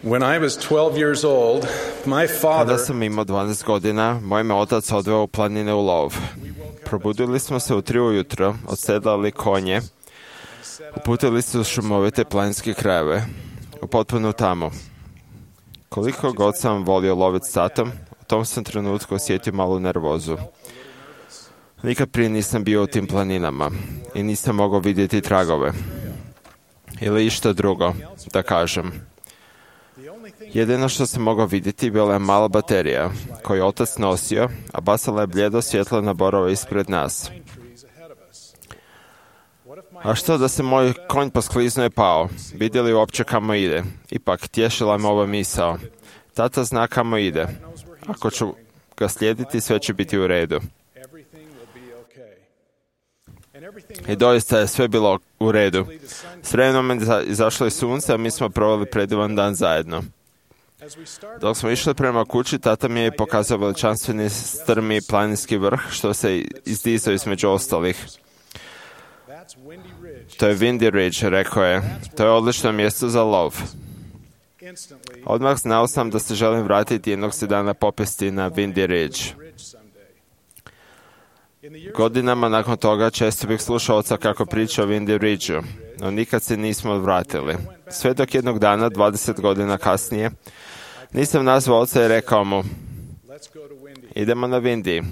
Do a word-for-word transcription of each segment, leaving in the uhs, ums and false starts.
When I was twelve years old, my father... Kada sam imao dvanaest godina, moj me otac odveo u planine u lov. Probudili smo se u tri ujutro, odsedlali konje, uputili se u šumovite planinske krajeve, u potpunu tamu. Koliko god sam volio loviti satom, u tom sam trenutku osjetio malu nervozu. Nikad prije nisam bio u tim planinama i nisam mogao vidjeti tragove. Ili išta drugo, da kažem. Jedino što sam mogao vidjeti bila je mala baterija, koju je otac nosio, a bacala je bljedo svjetlo na borove ispred nas. A što da se moj konj poskliznuo i pao? Vidjeli uopće kamo ide? Ipak, tješila me ova misao. Tata zna kamo ide. Ako ću ga slijediti, sve će biti u redu. I doista je sve bilo u redu. S vremenom je izašlo i sunce, a mi smo proveli predivan dan zajedno. Dok smo išli prema kući, tata mi je pokazao veličanstveni strmi planinski vrh, što se izdizao između ostalih. To je Windy Ridge, rekao je. To je odlično mjesto za lov. Odmah znao sam da se želim vratiti jednog se dana popesti na Windy Ridge. Godinama nakon toga često bih slušao oca kako priča o Windy Ridgeu, no nikad se nismo vratili. Sve dok jednog dana, dvadeset godina kasnije, nisam nazvao oca i rekao mu, idemo na Windy.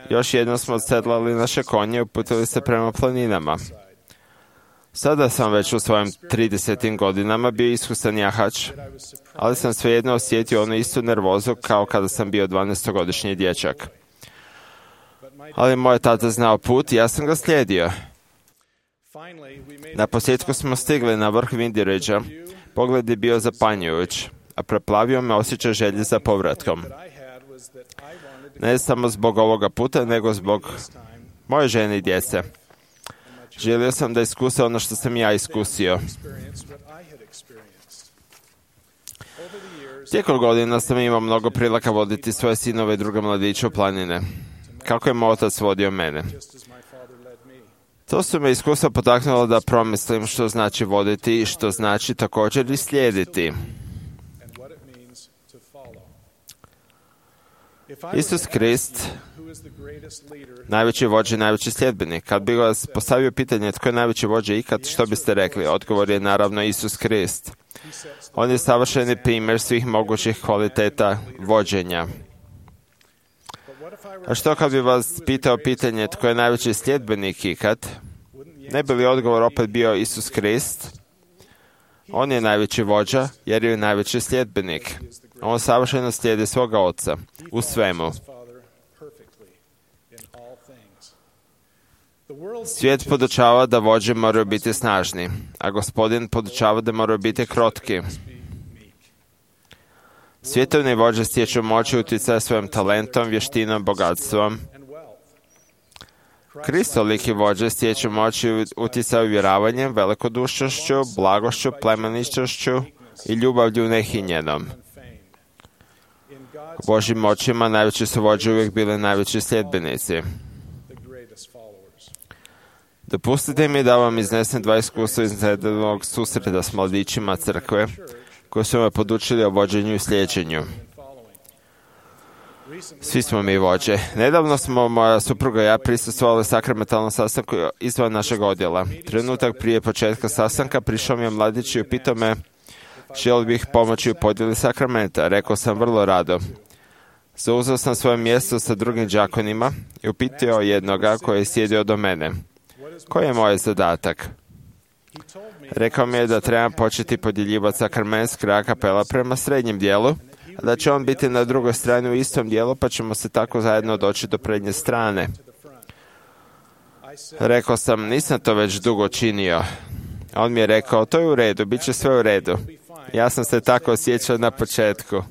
Još jednom smo odsedlali naše konje i uputili se prema planinama. Sada sam već u svojim tridesetim godinama bio iskusan jahač, ali sam svejedno osjetio onu istu nervozu kao kada sam bio dvanaestogodišnji dječak. Ali moj tata znao put i ja sam ga slijedio. Na posljedku smo stigli na vrh Windy Ridgea. Pogled je bio zapanjujuć, a preplavio me osjećaj želje za povratkom. Ne samo zbog ovoga puta, nego zbog moje žene i djece. Želio sam da iskuse ono što sam ja iskusio. Tijekom godina sam imao mnogo prilika voditi svoje sinove i druge mladiće u planine. Kako je moj otac vodio mene. To su me iskustva potaknulo da promislim što znači voditi i što znači također i slijediti. Isus Krist, najveći vođa i najveći sljedbenik. Kad bi vas postavio pitanje tko je najveći vođa ikad, što biste rekli? Odgovor je naravno Isus Krist. On je savršeni primjer svih mogućih kvaliteta vođenja. A što kad bi vas pitao pitanje tko je najveći sljedbenik ikad? Ne bi li odgovor opet bio Isus Krist? On je najveći vođa jer je najveći sljedbenik. On savršeno slijedi svoga oca u svemu. Svijet podučava da vođe moraju biti snažni, a Gospodin podučava da moraju biti krotki. Svjetovni vođe stječu moć i utjecaj svojim talentom, vještinom, bogatstvom. Kristoliki vođe stječu moć i utjecaj uvjeravanjem, velikodušnošću, blagošću, plemeničnošću i ljubavlju nehinjenom. U Božjim očima najveći su vođe uvijek bili najveći sljedbenici. Dopustite mi da vam iznesem dva iskustva iz nedavnog susreta s mladićima crkve, koji su me podučili o vođenju i slijeđenju. Svi smo mi vođe. Nedavno smo, moja supruga i ja, prisustvovali sakramentalnom sastanku izvan našeg odjela. Trenutak prije početka sastanka prišao mi je mladić i upitao me želio bih pomoći u podjeli sakramenta. Rekao sam vrlo rado. Zauzeo sam svoje mjesto sa drugim đakonima i upitao jednoga koji je sjedio do mene. Koji je moj zadatak? Rekao mi je da trebam početi podjeljivati sakrament s kraja kapela prema srednjem dijelu, a da će on biti na drugoj strani u istom dijelu, pa ćemo se tako zajedno doći do prednje strane. Rekao sam, nisam to već dugo činio. On mi je rekao, to je u redu, bit će sve u redu. Ja sam se tako osjećao na početku.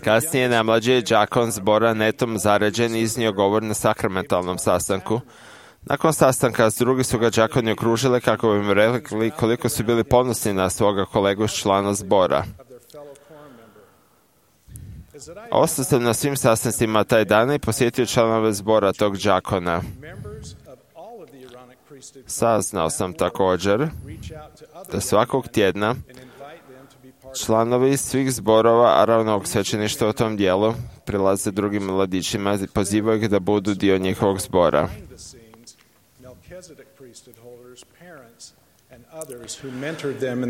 Kasnije najmlađi đakon zbora netom zaređen iznio govor na sakramentalnom sastanku. Nakon sastanka s drugi su ga đakoni okružili kako bi im rekli koliko su bili ponosni na svoga kolegu člana zbora. Ostao sam na svim sastancima taj dan i posjetio članove zbora tog đakona. Saznao sam također da svakog tjedna članovi svih zborova Aronovog svećeništva u tom dijelu prilaze drugim mladićima i pozivaju ih da budu dio njihovog zbora.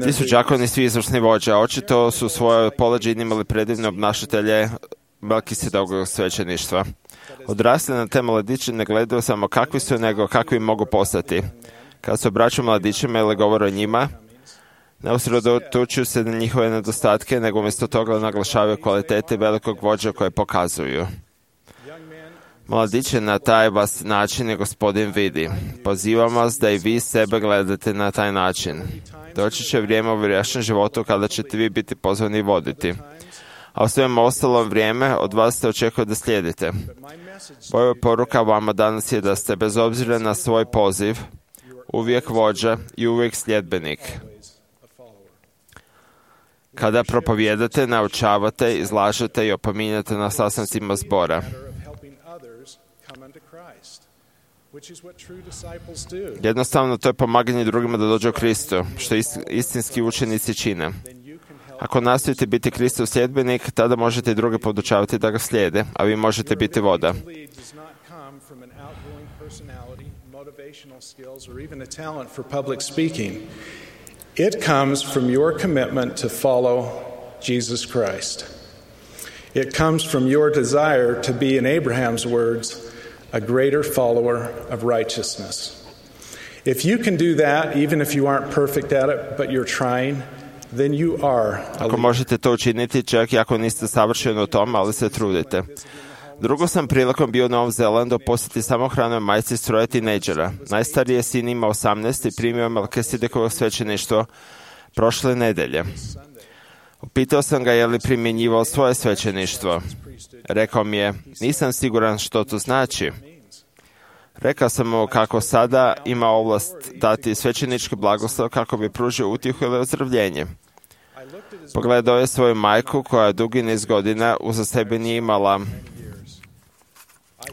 Ti su đakoni svi izvršni vođe, a očito su svoje poleđine imali predivne obnašatelje Melkisedovog svećeništva. Odrasli na te mladiće ne gledaju samo kakvi su, nego kakvi mogu postati. Kad se obraćaju mladićima ili govore o njima, ne usredotočuju se na njihove nedostatke, nego umjesto toga naglašavaju kvalitete velikog vođa koje pokazuju. Mladiće, na taj vas način je Gospodin vidi. Pozivam vas da i vi sebe gledate na taj način. Doći će vrijeme u vašem životu kada ćete vi biti pozvani voditi. A u svem ostalom vrijeme od vas se očekuje da slijedite. Moja poruka vama danas je da ste bez obzira na svoj poziv uvijek vođa i uvijek sljedbenik. Kada propovijedate, naučavate, izlažete i opominjate na sastancima zbora. Jednostavno, to je pomaganje drugima da dođu u Kristu, što istinski učenici čine. Ako nastojite biti Kristov sljedbenik, tada možete i druge podučavati da ga slijede, a vi možete biti voda. It comes from your commitment to follow Jesus Christ. It comes from your desire to be, in Abraham's words, a greater follower of righteousness. If you can do that, even if you aren't perfect at it, but you're trying, then you are. Ako možete to učiniti, čak i ako niste savršeni u tom, ali se trudite. Drugo sam prilikom bio u Novom Zelandu posjeti samohranoj majci s troje tinejdžera. Najstariji sin ima osamnaest i primio Melkisedekovo svećeništvo prošle nedelje. Upitao sam ga je li primjenjivao svoje svećeništvo. Rekao mi je, nisam siguran što to znači. Rekao sam mu kako sada ima ovlast dati svećenički blagoslov kako bi pružio utjehu ili ozdravljenje. Pogledao je svoju majku koja dugi niz godina uza sebe nije imala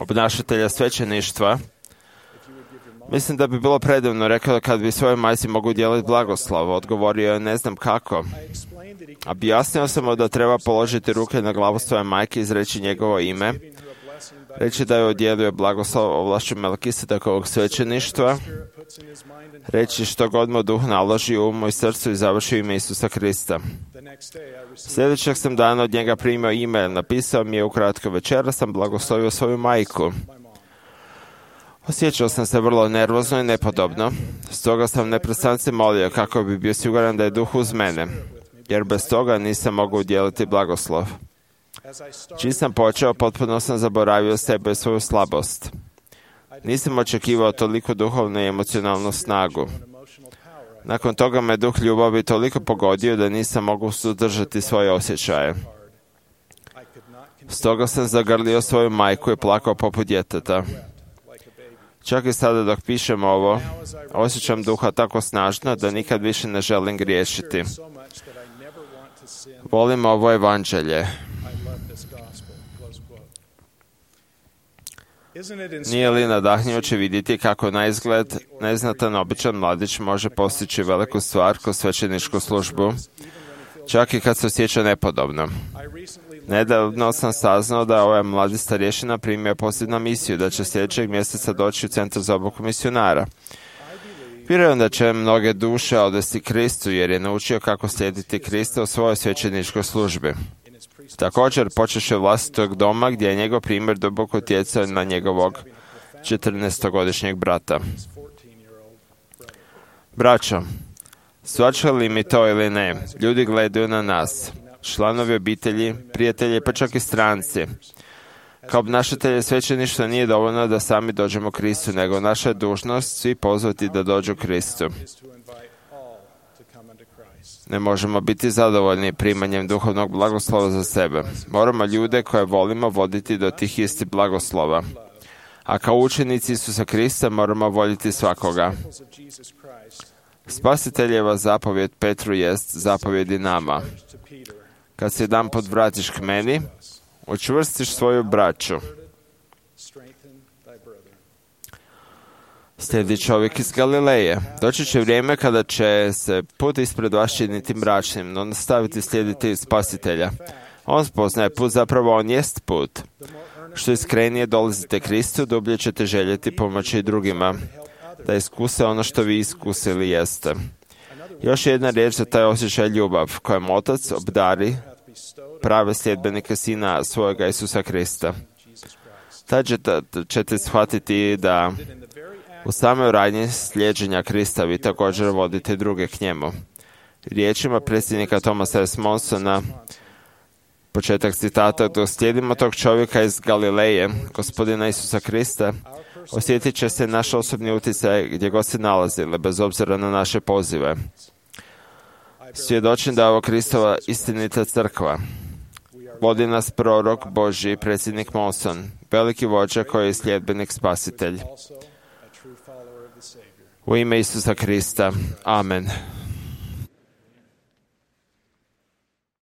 obnašatelja svećeništva. Mislim da bi bilo predivno, rekao, kad bi svojoj majci mogu dijeliti blagoslov. Odgovorio je, ne znam kako. Objasnio sam mu da treba položiti ruke na glavu svoje majke i izreći njegovo ime, reći da je udjelio blagoslov ovlašću Melkisedekovog svećeništva, reći što god mu duh naloži u umu i srcu i završi ime Isusa Krista. Sljedećeg sam dana od njega primio e-mail, napisao mi je ukratko, večera sam blagoslovio svoju majku. Osjećao sam se vrlo nervozno i nepodobno, stoga sam neprestance molio kako bi bio siguran da je duh uz mene, jer bez toga nisam mogao udjeliti blagoslov. Čim sam počeo, potpuno sam zaboravio sebe i svoju slabost. Nisam očekivao toliko duhovnu i emocionalnu snagu. Nakon toga me duh ljubavi toliko pogodio da nisam mogao suzdržati svoje osjećaje. Stoga sam zagrlio svoju majku i plakao poput djeteta. Čak i sada dok pišem ovo, osjećam duha tako snažno da nikad više ne želim griješiti. Volim ovo evanđelje. Nije li nadahnjujuće vidjeti kako na izgled neznatan običan mladić može postići veliku stvar kroz svećeničku službu, čak i kad se osjeća nepodobno? Nedavno sam saznao da ovaj mladi starješina primio poziv na misiju, da će sljedećeg mjeseca doći u centar za obuku misionara. Vjerujem da će mnoge duše odvesti Kristu, jer je naučio kako slijediti Krista u svojoj svećeničkoj službi. Također, počeše vlastitog doma, gdje je njegov primjer duboko utjecao na njegovog četrnaestogodišnjeg brata. Braćo, shvaća li mi to ili ne, ljudi gledaju na nas, članovi obitelji, prijatelji, pa čak i stranci. Kao obnašatelji svećeništva nije dovoljno da sami dođemo Kristu, nego naša je dužnost svi pozvati da dođu Kristu. Ne možemo biti zadovoljni primanjem duhovnog blagoslova za sebe. Moramo ljude koje volimo voditi do tih istih blagoslova. A kao učenici Isusa Krista moramo voljeti svakoga. Spasiteljeva zapovjed Petru jest zapovjed i nama. Kad se jedan put vratiš k meni, učvrstiš svoju braću. Slijedi čovjek iz Galileje. Doći će vrijeme kada će se put ispred vas činiti mračnim, no nastaviti slijediti spasitelja. On spoznaje put, zapravo on jest put. Što iskrenije dolazite Kristu, dublje ćete željeti pomoći i drugima, da iskuse ono što vi iskusili jeste. Još jedna riječ za taj osjećaj ljubav, kojem Otac obdari prave sljedbenike Sina svojega Isusa Krista. Tad ćete shvatiti da u samoj radnji slijeđenja Krista vi također vodite druge k njemu. Riječima predsjednika Thomasa S. Monsona, početak citata, dok slijedimo tog čovjeka iz Galileje, gospodina Isusa Krista, osjetit će se naš osobni utjecaj gdje god se nalazili, bez obzira na naše pozive. Svjedočim da je ovo Kristova istinita crkva. Vodi nas prorok Božji, predsjednik Monson, veliki vođa koji je sljedbenik spasitelj. U ime Isusa Krista. Amen.